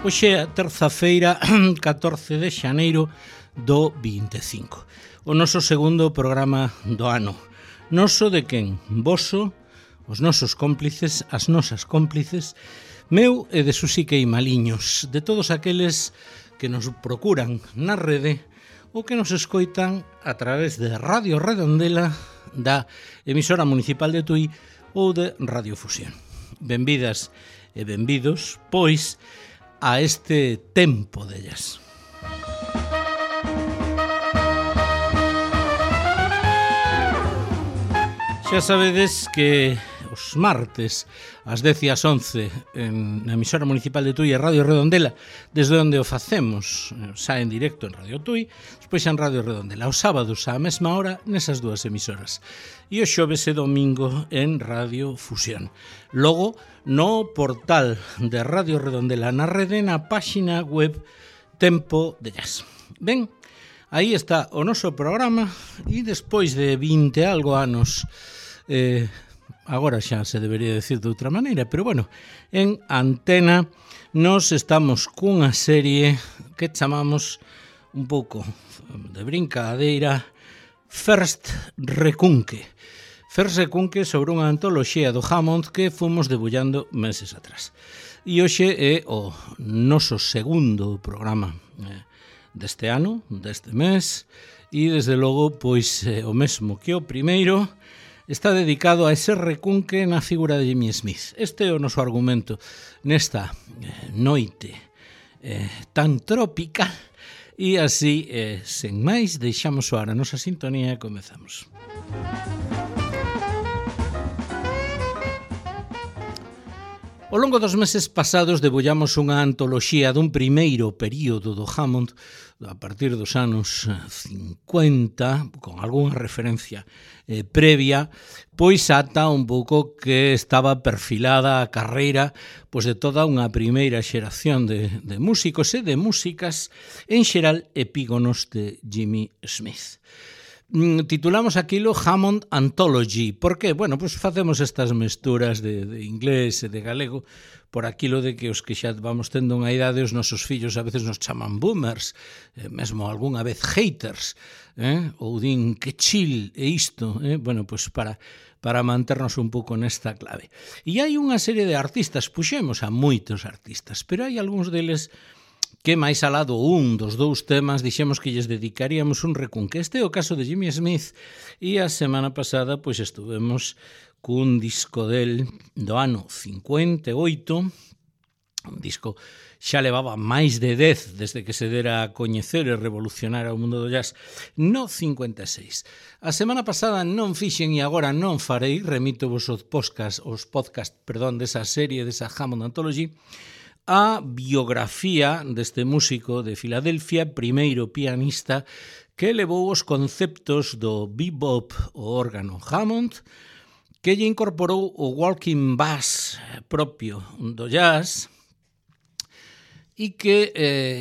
Hoxe é a terza-feira, 14 de xaneiro do 25. O noso segundo programa do ano. Noso de quen? Voso, os nosos cómplices, as nosas cómplices, meu e de Susi Queimaliños, de todos aqueles que nos procuran na rede ou que nos escoitan a través de Radio Redondela, da emisora municipal de Tui ou de Radio Fusión. Benvidas e benvidos, pois, a este tempo dellas. Xa sabedes que os martes ás 10 e ás 11 na emisora municipal de Tui e Radio Redondela, desde onde o facemos, xa en directo en Radio Tui, despois en Radio Redondela, os sábados á mesma hora nesas dúas emisoras, e o xoves e domingo en Radio Fusión. Logo, no portal de Radio Redondela na rede, na páxina web Tempo de Jazz. Ben, aí está o noso programa, e despois de 20 algo anos, agora xa se debería decir de outra maneira, pero bueno, en antena nos estamos cunha serie que chamamos un pouco de brincadeira First Recunque. First Recunque sobre unha antoloxía do Hammond que fomos debullando meses atrás. E hoxe é o noso segundo programa deste ano, deste mes, e desde logo, pois, o mesmo que o primeiro, está dedicado a ese recunque na figura de Jimmy Smith. Este é o noso argumento nesta noite tan trópica, e así, sen máis, deixamos soar a nosa sintonía e comezamos. Ao longo dos meses pasados debullamos unha antoloxía dun primeiro período do Hammond a partir dos anos 50, con algunha referencia previa, pois ata un pouco que estaba perfilada a carreira pois de toda unha primeira xeración de músicos e de músicas, en xeral epígonos de Jimmy Smith. Titulamos aquilo Hammond Anthology. Por que? Bueno, pois facemos estas mesturas de inglés e de galego por aquilo de que os que xa vamos tendo unha idade, os nosos fillos a veces nos chaman boomers, mesmo algunha vez haters, ou din que chill e isto, bueno, pois para manternos un pouco nesta clave. E hai unha serie de artistas, puxemos a moitos artistas, pero hai algúns deles que máis alá do un dos dous temas dixemos que lles dedicaríamos un recunque. Este é o caso de Jimmy Smith, e a semana pasada pois estuvemos cun disco del do ano 58, un disco xa levaba máis de 10 desde que se dera a coñecer e revolucionar o mundo do jazz no 56. A semana pasada non fixen e agora non farei, remito vos os podcast desa serie, desa Hammond Anthology, a biografía deste músico de Filadelfia, primeiro pianista que levou os conceptos do bebop o órgano Hammond, que lle incorporou o walking bass propio do jazz, e que,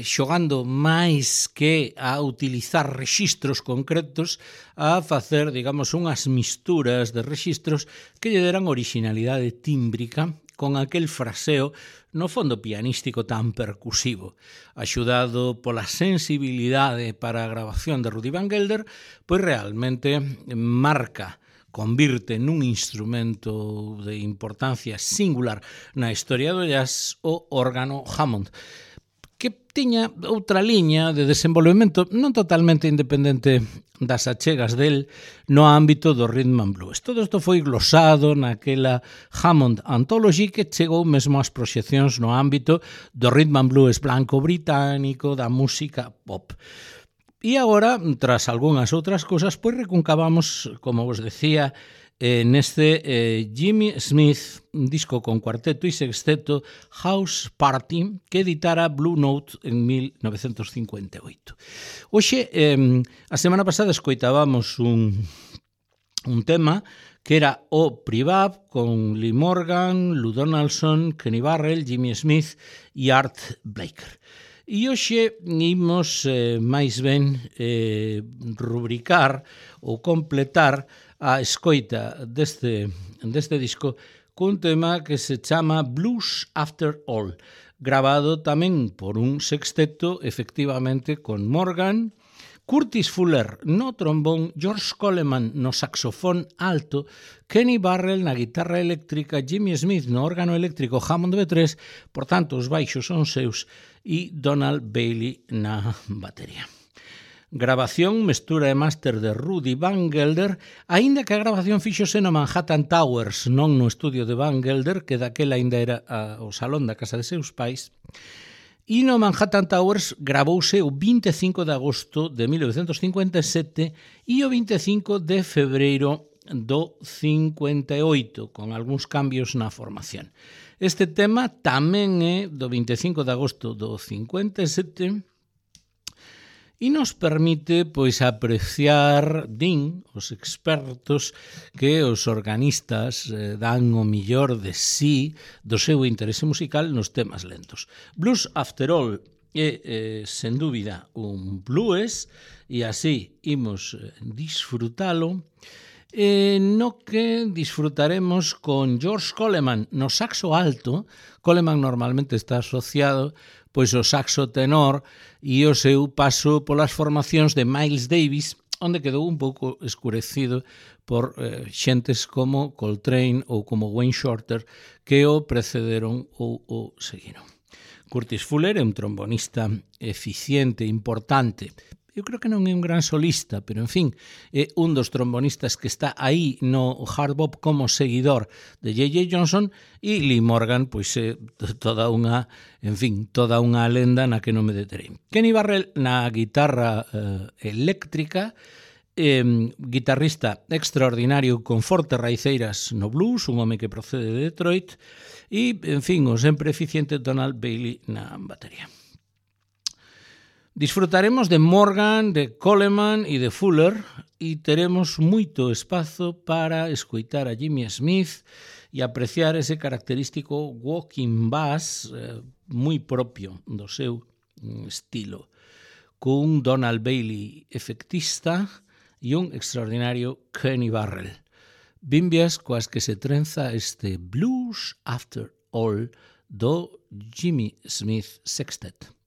xogando máis que a utilizar rexistros concretos, a facer, digamos, unhas misturas de rexistros que lle deran orixinalidade tímbrica con aquel fraseo no fondo pianístico tan percusivo, axudado pola sensibilidade para a grabación de Rudy Van Gelder, pois realmente convirte nun instrumento de importancia singular na historia do jazz o órgano Hammond, que tiña outra liña de desenvolvemento non totalmente independente das achegas del no ámbito do rhythm and blues. Todo isto foi glosado naquela Hammond Anthology que chegou mesmo ás proxeccións no ámbito do rhythm and blues blanco británico, da música pop. E agora, tras algunhas outras cousas, pois recuncavamos, como vos decía, neste Jimmy Smith, un disco con cuarteto e sexteto, House Party, que editara Blue Note en 1958. Hoxe, a semana pasada escoitábamos un tema que era o Privab con Lee Morgan, Lou Donaldson, Kenny Barrell, Jimmy Smith e Art Blaker. E hoxe imos máis ben rubricar ou completar a escoita deste disco cun tema que se chama Blues After All, grabado tamén por un sexteto, efectivamente, con Morgan, Curtis Fuller no trombón, George Coleman no saxofón alto, Kenny Burrell na guitarra eléctrica, Jimmy Smith no órgano eléctrico Hammond B3, por tanto os baixos son seus, e Donald Bailey na batería. Grabación, mestura e máster de Rudy Van Gelder, aínda que a grabación fíxose no Manhattan Towers, non no estudio de Van Gelder, que daquela aínda era o salón da casa de seus pais. E no Manhattan Towers gravouse o 25 de agosto de 1957 e o 25 de febreiro do 58, con algúns cambios na formación. Este tema tamén é do 25 de agosto do 57 e nos permite pois apreciar, din os expertos, que os organistas dan o millor de sí, do seu interese musical nos temas lentos. Blues After All é, sen dúbida, un blues, e así imos disfrutalo, no que disfrutaremos con George Coleman no saxo alto. Coleman normalmente está asociado pois o saxo tenor e o seu paso polas formacións de Miles Davis, onde quedou un pouco escurecido por xentes como Coltrane ou como Wayne Shorter, que o precederon ou o seguiron. Curtis Fuller é un trombonista eficiente, importante. Eu creo que non é un gran solista, pero, en fin, é un dos trombonistas que está aí no hard bop como seguidor de J.J. Johnson, e Lee Morgan, pois é toda unha, en fin, toda unha lenda na que non me deterei. Kenny Burrell na guitarra eléctrica, guitarrista extraordinario con fortes raiceiras no blues, un home que procede de Detroit, e, en fin, o sempre eficiente Donald Bailey na batería. Disfrutaremos de Morgan, de Coleman e de Fuller, e teremos moito espazo para escoitar a Jimmy Smith e apreciar ese característico walking bass moi propio do seu estilo, cun Donald Bailey efectista e un extraordinario Kenny Burrell. Bimbias coas que se trenza este Blues After All do Jimmy Smith Sextet.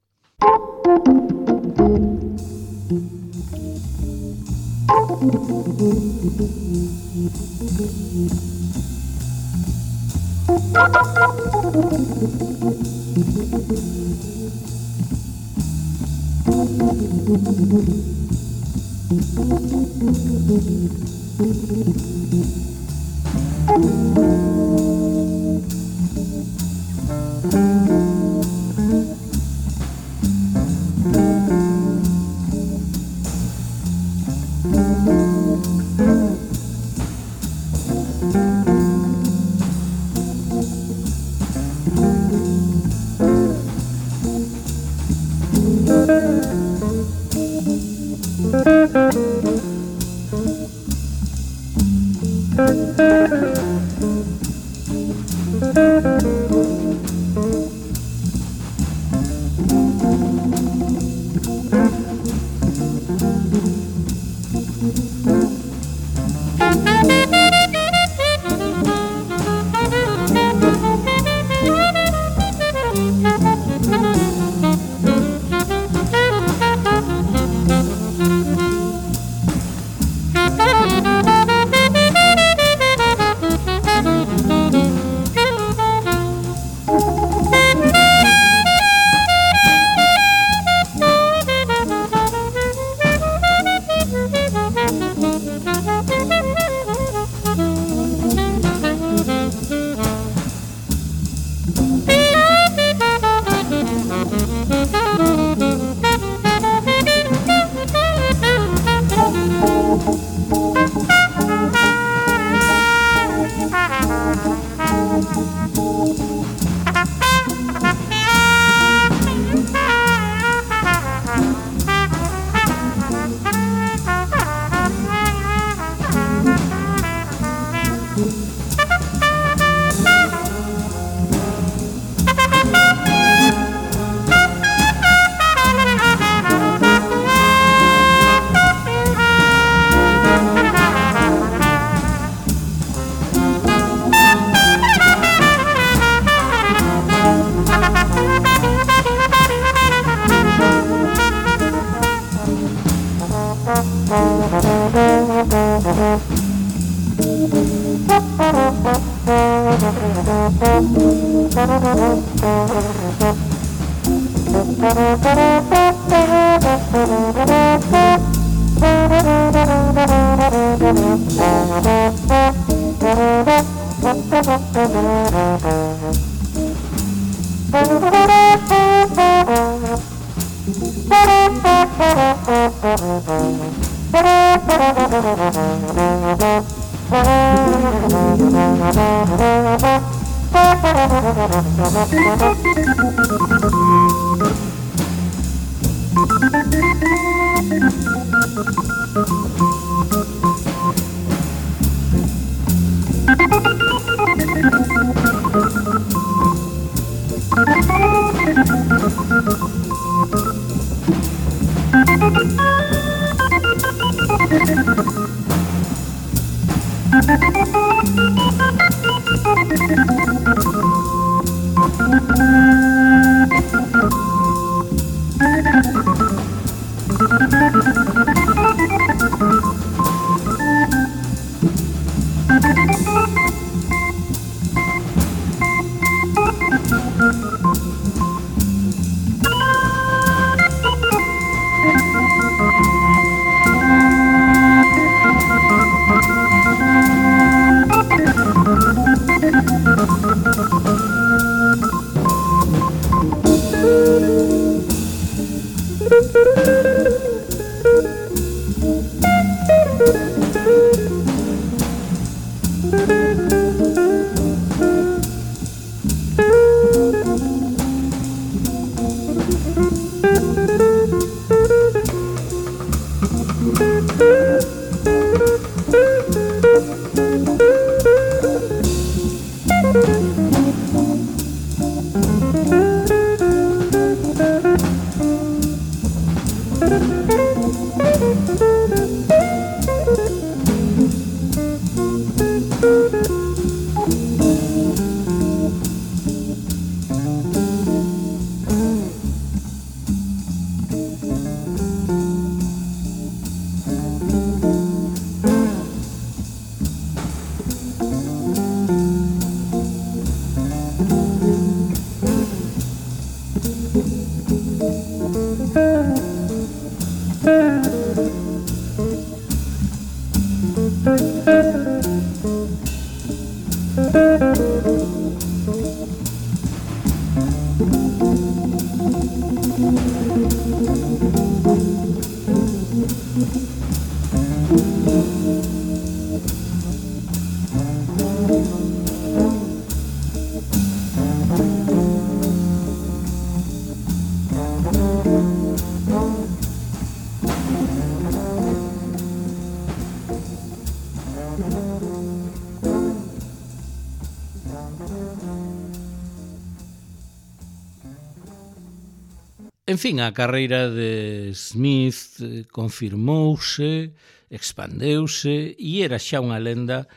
En fin, a carreira de Smith confirmouse, expandeuse e era xa unha lenda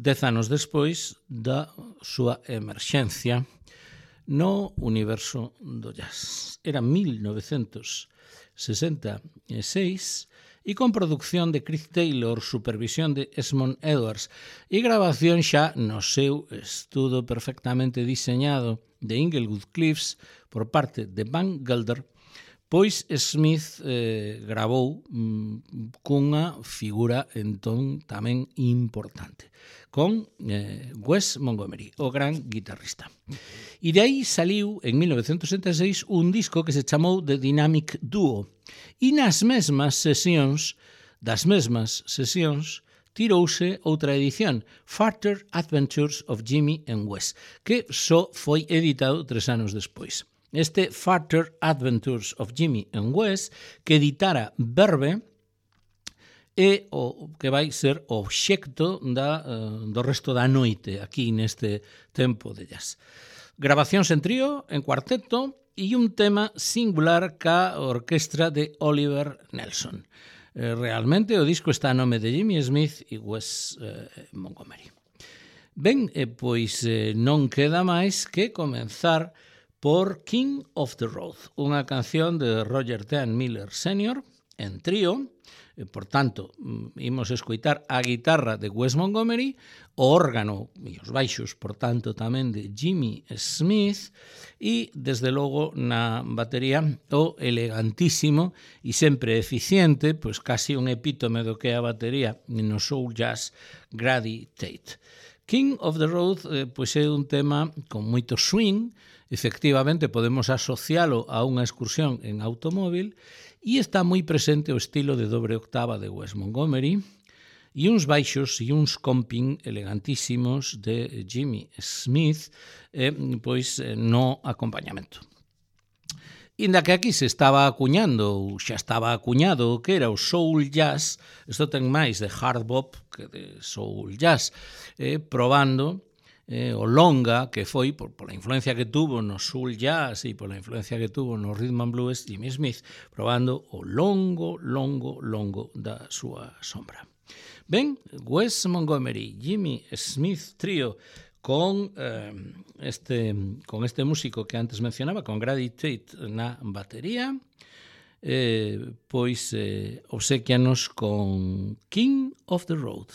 10 anos despois da súa emerxencia no universo do jazz. Era 1966 e con producción de Chris Taylor, supervisión de Esmond Edwards e grabación xa no seu estudo perfectamente diseñado de Inglewood Cliffs por parte de Van Gelder, pois Smith gravou cunha figura entón tamén importante, con Wes Montgomery, o gran guitarrista. E de aí saliu en 1966 un disco que se chamou The Dynamic Duo, e nas mesmas sesións, tirouse outra edición, Further Adventures of Jimmy and Wes, que só foi editado 3 anos despois. Este Further Adventures of Jimmy and Wes, que editara Verve, é o que vai ser o obxecto do resto da noite aquí neste tempo de jazz. Grabacións en trío, en cuarteto e un tema singular ca orquestra de Oliver Nelson. Realmente o disco está a nome de Jimmy Smith e Wes Montgomery. Ben, pois non queda máis que comenzar por King of the Road, unha canción de Roger Dean Miller Sr. en trío, Por tanto, imos escoitar a guitarra de Wes Montgomery, o órgano e os baixos, por tanto, tamén de Jimmy Smith, e, desde logo, na batería, o elegantísimo e sempre eficiente, pois casi un epítome do que é a batería no soul jazz, Grady Tate. King of the Road pois é un tema con moito swing, efectivamente podemos asocialo a unha excursión en automóvil, e está moi presente o estilo de dobre octava de Wes Montgomery e uns baixos e uns comping elegantísimos de Jimmy Smith pois no acompañamento. Inda que aquí se estaba acuñando, ou xa estaba acuñado o que era o soul jazz, isto ten máis de hard bop que de soul jazz, probando o longa que foi pola influencia que tuvo no soul jazz e pola influencia que tuvo no rhythm and blues Jimmy Smith, probando o longo da súa sombra. Ben, Wes Montgomery, Jimmy Smith Trio con este músico que antes mencionaba, con Grady Tate na batería, pois obsequianos con King of the Road.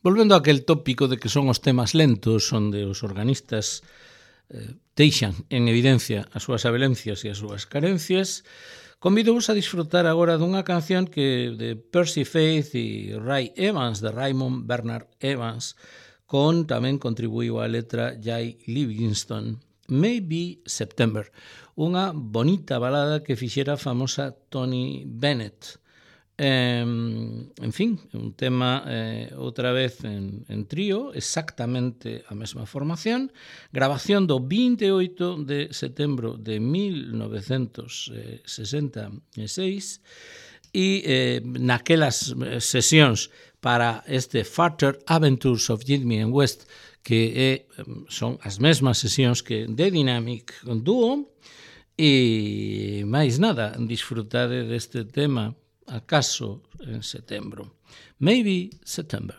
Volvendo a aquel tópico de que son os temas lentos, onde os organistas deixan en evidencia as súas abelencias e as súas carencias, convido-vos a disfrutar agora dunha canción que de Percy Faith e Ray Evans, de Raymond Bernard Evans, tamén contribuiu a letra Jay Livingston, Maybe September, unha bonita balada que fixera a famosa Tony Bennett. En fin, un tema outra vez en trío, exactamente a mesma formación, grabación do 28 de setembro de 1966 e naquelas sesións para este Further Adventures of Jimmy and West, que son as mesmas sesións que The Dynamic Duo, e máis nada, disfrutade deste tema acaso en setembro. Maybe September.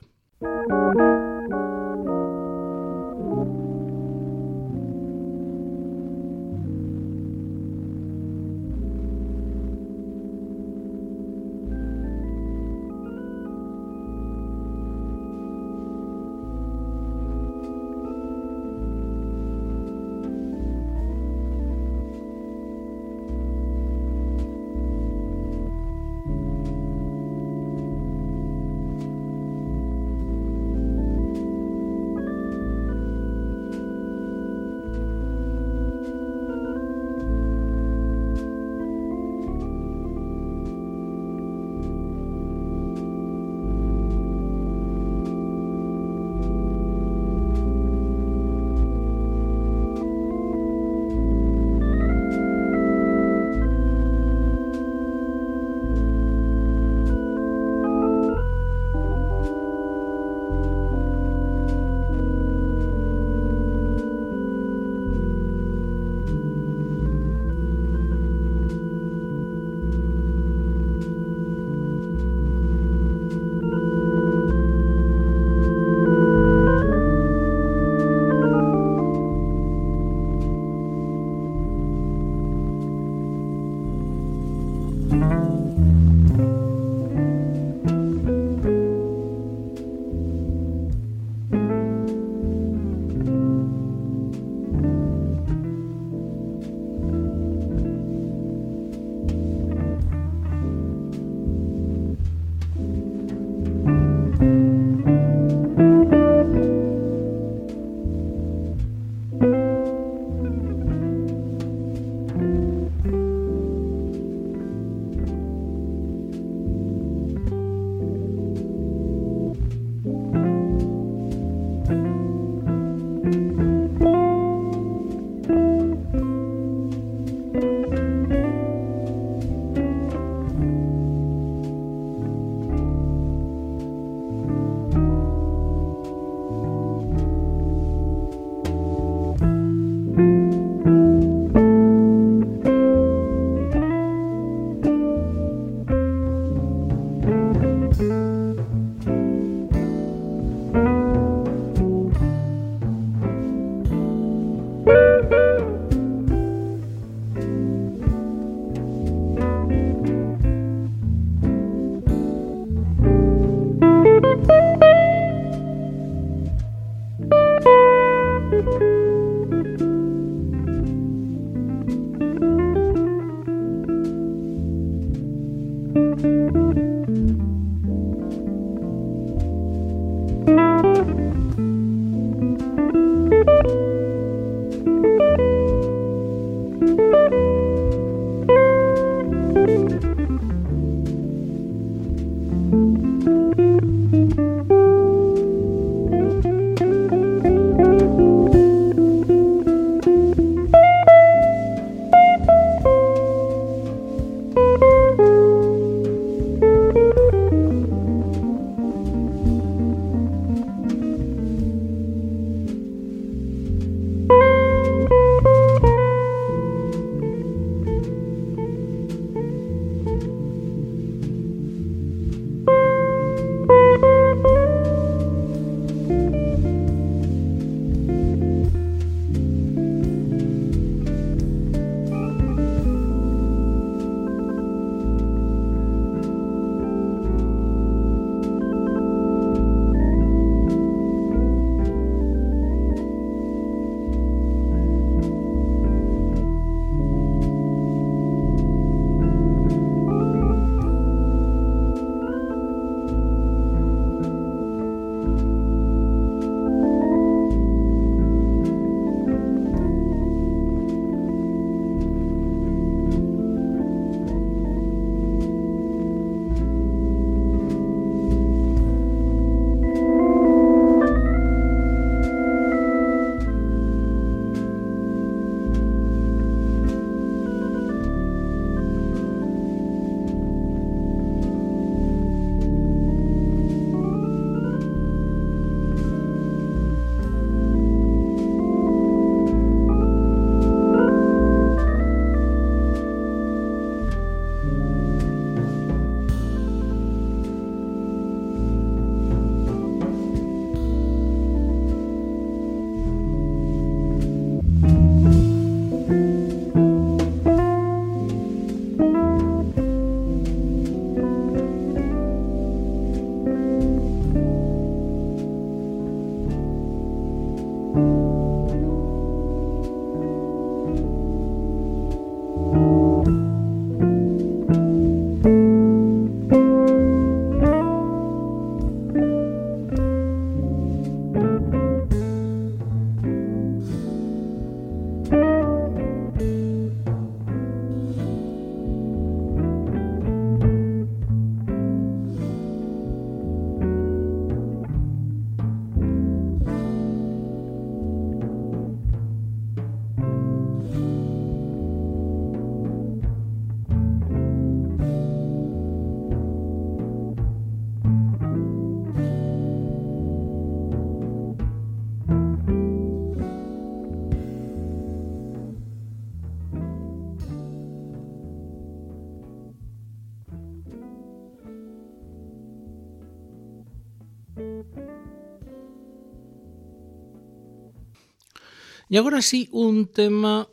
E agora sí, un tema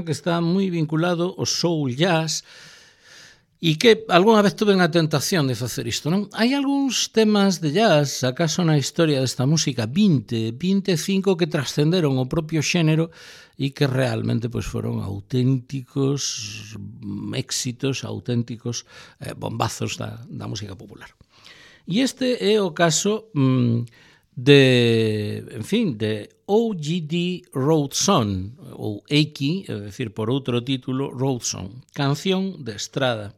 que está moi vinculado ao soul jazz e que algunha vez tuve a tentación de facer isto, non? Hai algúns temas de jazz, acaso na historia desta música, 25 que trascenderon o propio xénero e que realmente pois, foron auténticos éxitos, auténticos bombazos da música popular. E este é o caso de O.G.D. Road Song, ou Eiki, é dicir, por outro título, Road Song, canción de estrada.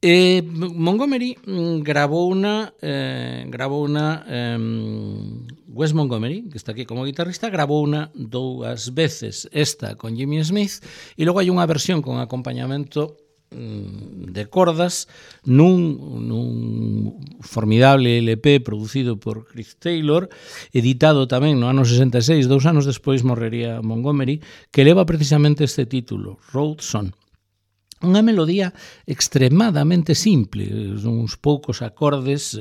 Montgomery grabouna Wes Montgomery, que está aquí como guitarrista, grabouna 2 veces, esta con Jimmy Smith, e logo hai unha versión con acompañamento de cordas nun formidable LP producido por Chris Taylor, editado tamén no ano 66, 2 anos despois morrería Montgomery, que leva precisamente este título, Road Song. Unha melodía extremadamente simple, uns poucos acordes,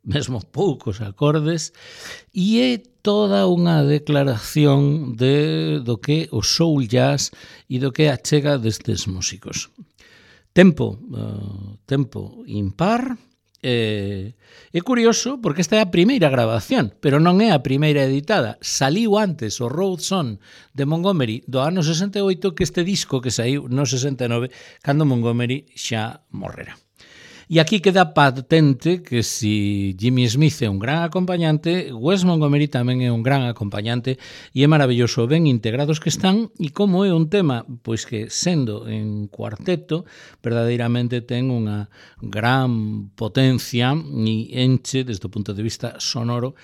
mesmo poucos acordes, e é toda unha declaración do que o soul jazz e do que achega destes músicos. Tempo impar. É curioso porque esta é a primeira grabación, pero non é a primeira editada. Saliu antes o Road Song de Montgomery do ano 68 que este disco que saiu no 69 cando Montgomery xa morrera. E aquí queda patente que si Jimmy Smith é un gran acompañante, Wes Montgomery tamén é un gran acompañante e é maravilloso ben integrados que están e como é un tema pois que sendo en cuarteto verdadeiramente ten unha gran potencia e enche desde o punto de vista sonoro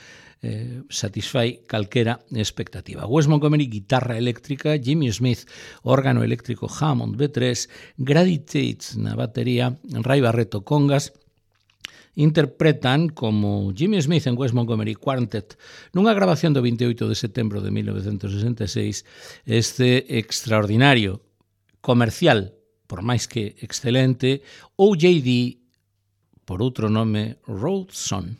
satisfai calquera expectativa. Wes Montgomery, guitarra eléctrica, Jimmy Smith, órgano eléctrico Hammond B3, Grady Tate na batería, Ray Barretto congas, interpretan como Jimmy Smith en Wes Montgomery Quartet nunha grabación do 28 de setembro de 1966 este extraordinario, comercial, por máis que excelente, O.J.D. por outro nome Road Song.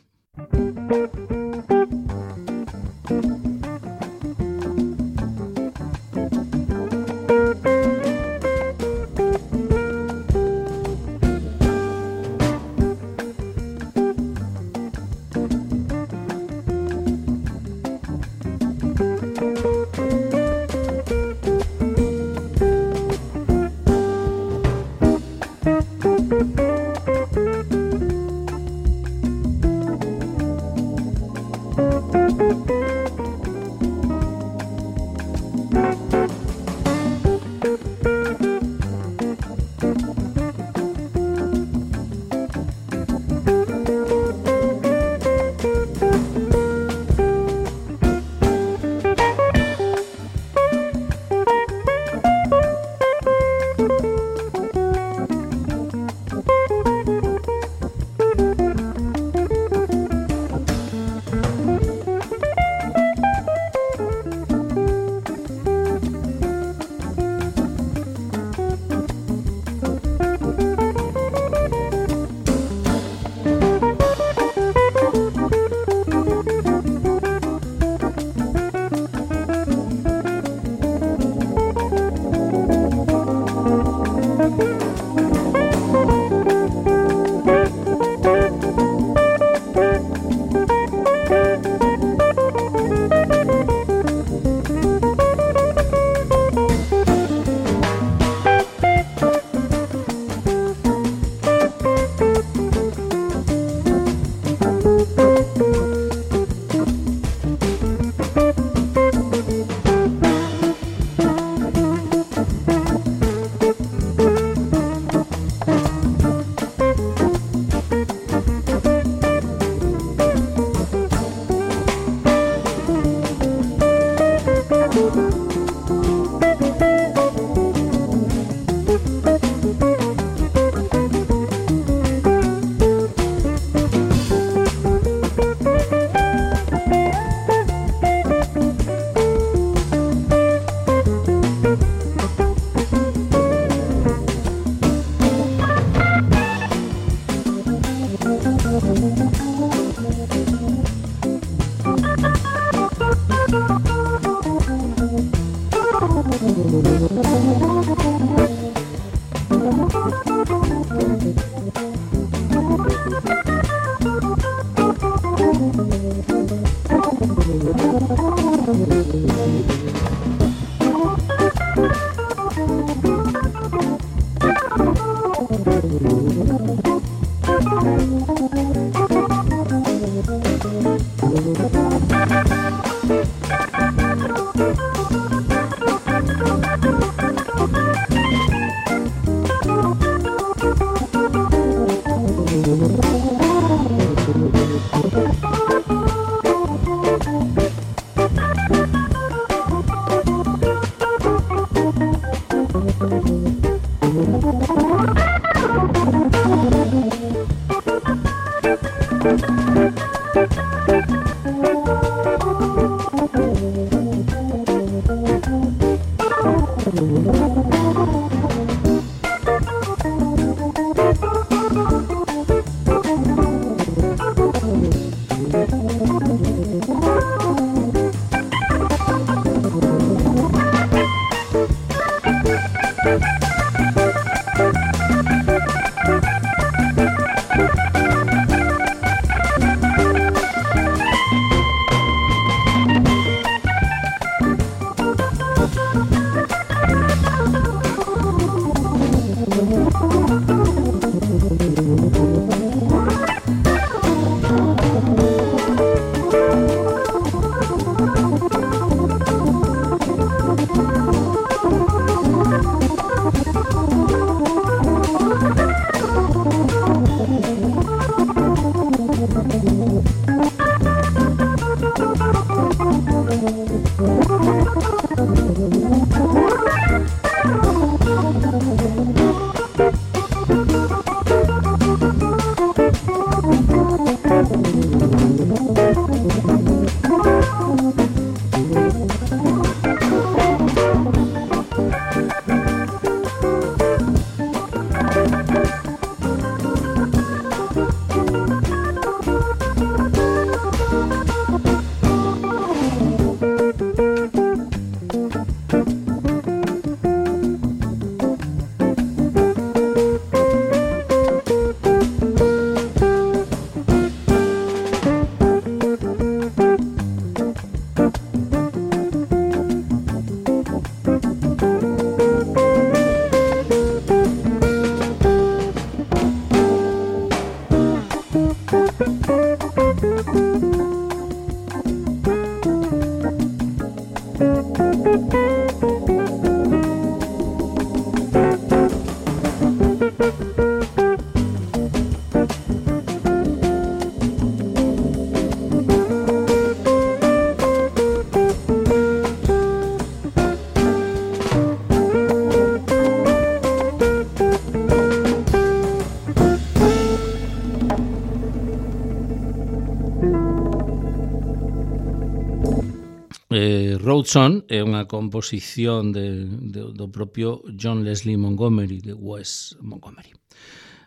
Road Song é unha composición do propio John Leslie Montgomery, de Wes Montgomery.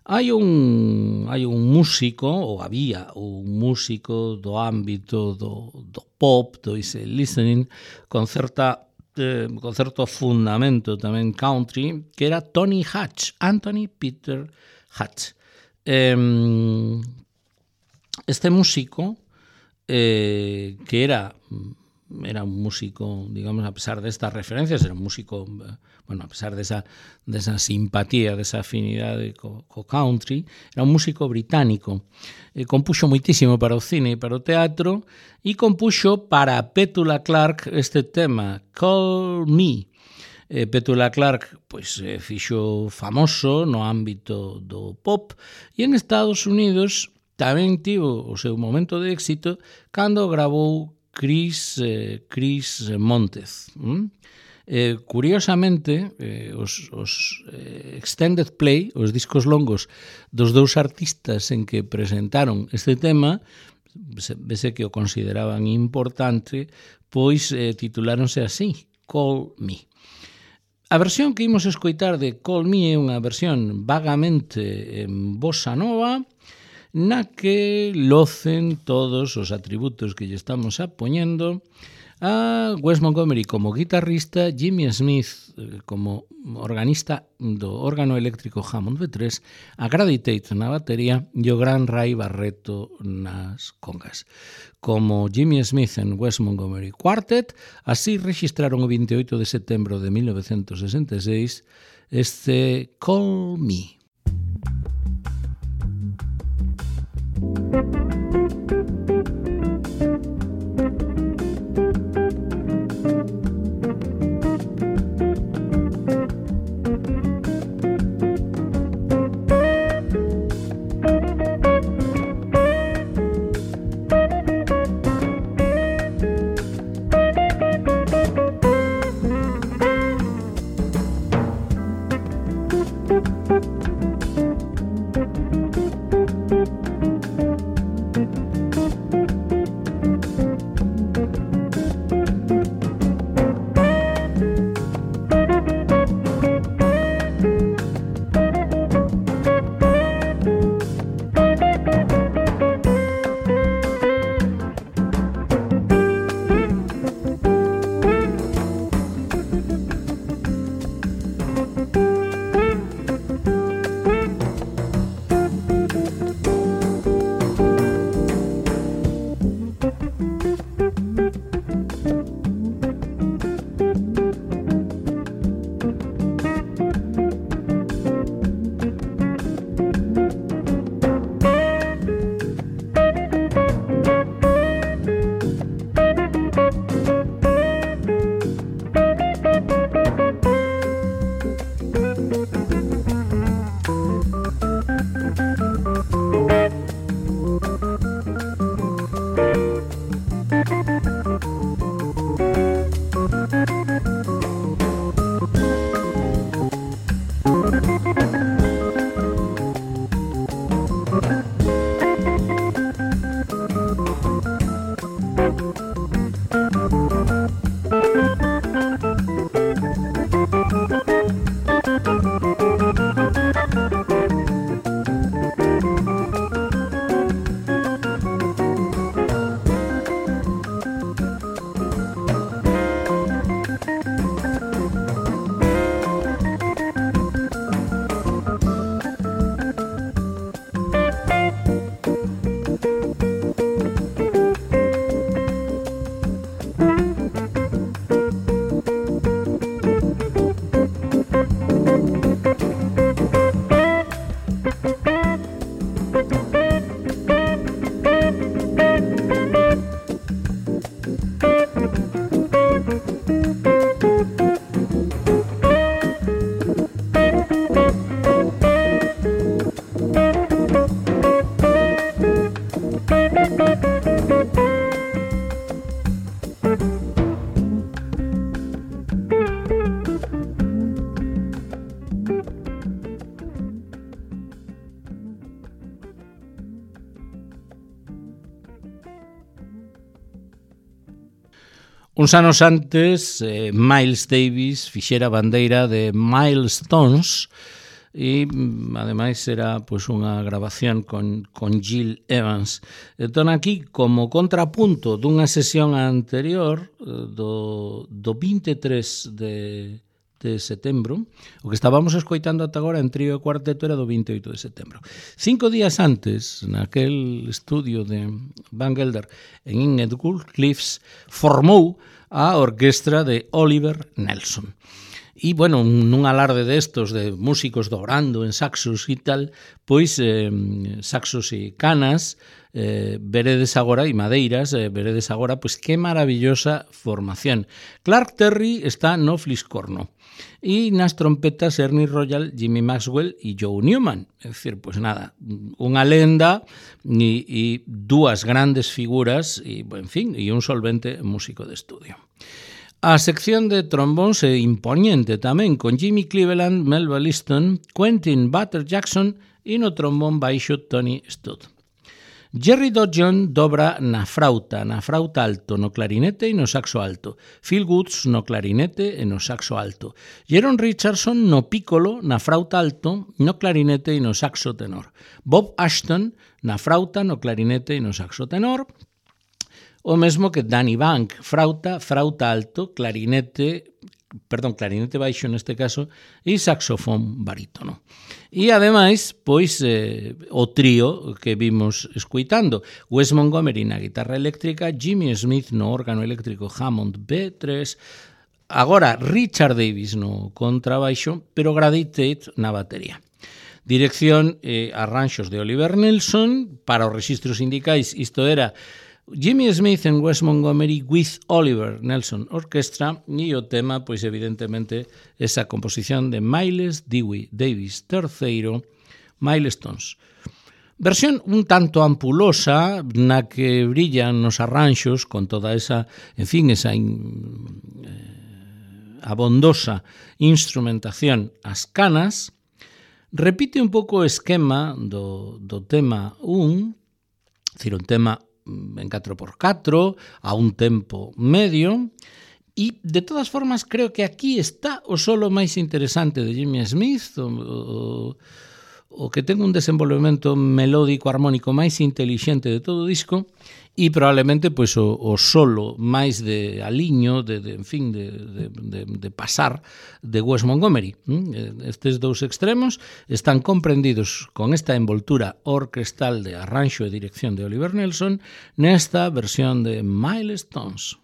Hai un músico, ou había un músico do ámbito do pop, do easy listening, con certo fundamento tamén country, que era Tony Hatch, Anthony Peter Hatch. Este músico, que era era un músico, digamos, a pesar destas referencias, era un músico, bueno, a pesar desa simpatía, desa afinidade co country, era un músico británico. Compuxo moitísimo para o cine e para o teatro e compuxo para Petula Clark este tema, Call Me. Petula Clark pois, fixo famoso no ámbito do pop e en Estados Unidos tamén tivo o seu momento de éxito cando gravou Chris Montez. Curiosamente, os extended play, os discos longos dos dous artistas en que presentaron este tema, vese que o consideraban importante, pois tituláronse así, Call Me. A versión que imos escoitar de Call Me é unha versión vagamente en bossa nova, na que locen todos os atributos que lle estamos apoñendo a Wes Montgomery como guitarrista, Jimmy Smith como organista do órgano eléctrico Hammond B3, a Grady Tate na batería e o gran Ray Barretto nas congas. Como Jimmy Smith en Wes Montgomery Quartet, así registraron o 28 de setembro de 1966 este Call Me. Uns anos antes, Miles Davis fixera a bandeira de Milestones e, ademais, era pois, unha grabación con Gil Evans. Entón, aquí, como contrapunto dunha sesión anterior do 23 de de setembro. O que estábamos escoitando ata agora en trío e cuarteto era do 28 de setembro. 5 días antes, naquel estudio de Van Gelder en Edgewood Cliffs, formou a orquestra de Oliver Nelson. E, bueno, nun alarde destos de músicos dobrando en saxos e tal, pois saxos e canas, veredes agora, e madeiras, veredes agora, pois que maravillosa formación. Clark Terry está no fliscorno. E nas trompetas Ernie Royal, Jimmy Maxwell e Joe Newman. É dicir, pois nada, unha lenda e dúas grandes figuras e, en fin, e un solvente músico de estudio. A sección de trombóns é imponente tamén, con Jimmy Cleveland, Melba Liston, Quentin Butter Jackson e no trombón baixo Tony Studd. Jerry Dodson dobra na frauta alto, no clarinete e no saxo alto. Phil Woods no clarinete e no saxo alto. Jeron Richardson no piccolo, na frauta alto, no clarinete e no saxo tenor. Bob Ashton na frauta, no clarinete e no saxo tenor. O mesmo que Danny Bank, frauta alto, clarinete baixo neste caso, e saxofón barítono. E ademais, pois, o trío que vimos escuitando, Wes Montgomery na guitarra eléctrica, Jimmy Smith no órgano eléctrico Hammond B3, agora Richard Davis no contrabaixo, pero Grady Tate na batería. Dirección e arranxos de Oliver Nelson, para os rexistros sindicais, isto era Jimmy Smith en Wes Montgomery with Oliver Nelson Orchestra, e o tema, pois evidentemente, esa composición de Miles Dewey Davis III, Milestones. Versión un tanto ampulosa, na que brillan nos arranxos con toda esa, en fin, esa abondosa instrumentación ás canas. Repite un pouco o esquema do tema 1, dicir, un tema en 4x4, a un tempo medio, e de todas formas creo que aquí está o solo máis interesante de Jimmy Smith, o que ten un desenvolvemento melódico armónico máis intelixente de todo o disco, e probablemente pois o solo máis de aliño, en fin, de pasar de Wes Montgomery. Estes dous extremos están comprendidos con esta envoltura orquestal de arranxo e dirección de Oliver Nelson nesta versión de Milestones.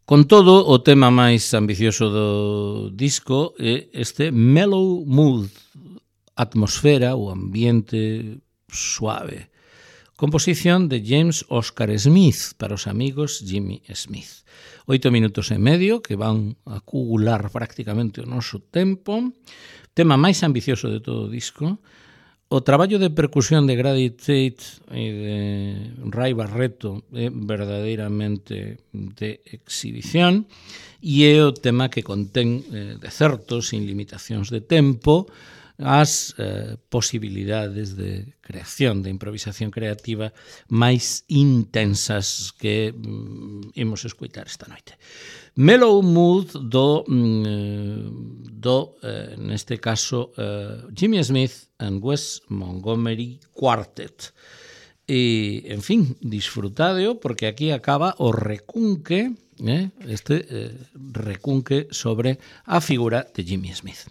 Con todo, o tema máis ambicioso do disco é este mellow mood, atmosfera, o ambiente suave. Composición de James Oscar Smith para os amigos Jimmy Smith. 8 minutos e medio que van a acular prácticamente o noso tempo. Tema máis ambicioso de todo o disco. O traballo de percusión de Grady Tate e de Ray Barretto é verdadeiramente de exhibición e é o tema que contén de certo, sin limitacións de tempo, as posibilidades de creación, de improvisación creativa máis intensas que imos escoitar esta noite. Mellow Mood neste caso, Jimmy Smith and Wes Montgomery Quartet. E, en fin, disfrutadeo, porque aquí acaba o recunque, recunque sobre a figura de Jimmy Smith.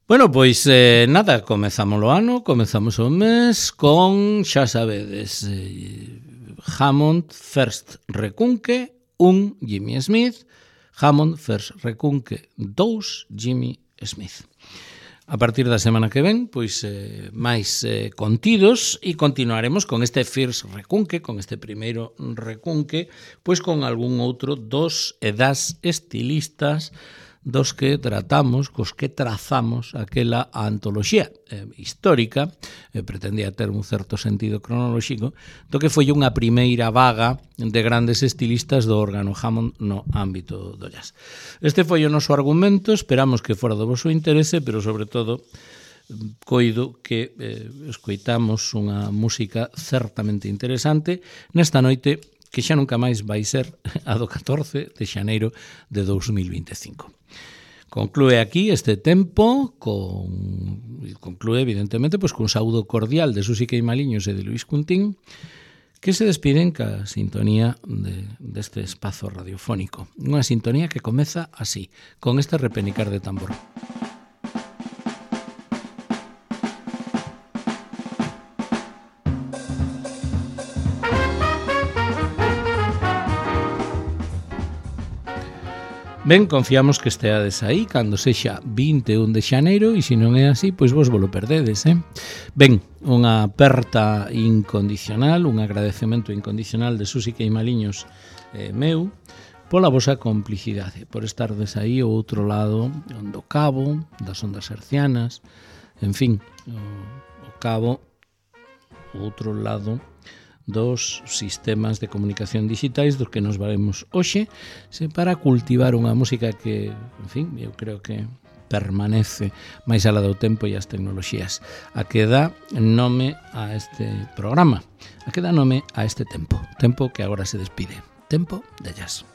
Bueno, pois nada, comezamos o ano, comezamos o mes con, xa sabedes, Hammond First Recunque 1 Jimmy Smith, Hammond First Recunque 2 Jimmy Smith. A partir da semana que ven, pois máis contidos e continuaremos con este First Recunque, con este primeiro recunque, pois con algún outro dos e das estilistas dos que tratamos, cos que trazamos aquela antoloxía histórica, pretendía ter un certo sentido cronolóxico, do que foi unha primeira vaga de grandes estilistas do órgano Hammond no ámbito do jazz. Este foi o noso argumento, esperamos que fora do vosso interese, pero sobre todo coido que escoitamos unha música certamente interesante nesta noite que xa nunca máis vai ser a do 14 de xaneiro de 2025. Conclúe aquí este tempo, conclúe evidentemente pois cun saúdo cordial de Susi Queimaliños e de Luis Cuntín, que se despiden ca sintonía deste espazo radiofónico. Unha sintonía que comeza así, con este repenicar de tambor. Ben, confiamos que esteades aí cando sexa 21 de xaneiro e se non é así, pois vos volo perdedes, Ben, unha aperta incondicional, un agradecemento incondicional de Susi Queimaliños meu pola vosa complicidade, por estardes aí ao outro lado do cabo, das ondas hercianas, en fin, o cabo, o outro lado dos sistemas de comunicación digitais dos que nos valemos hoxe para cultivar unha música que, en fin, eu creo que permanece máis alá do tempo e as tecnoloxías, a que dá nome a este programa, a que dá nome a este tempo que agora se despide, tempo de jazz.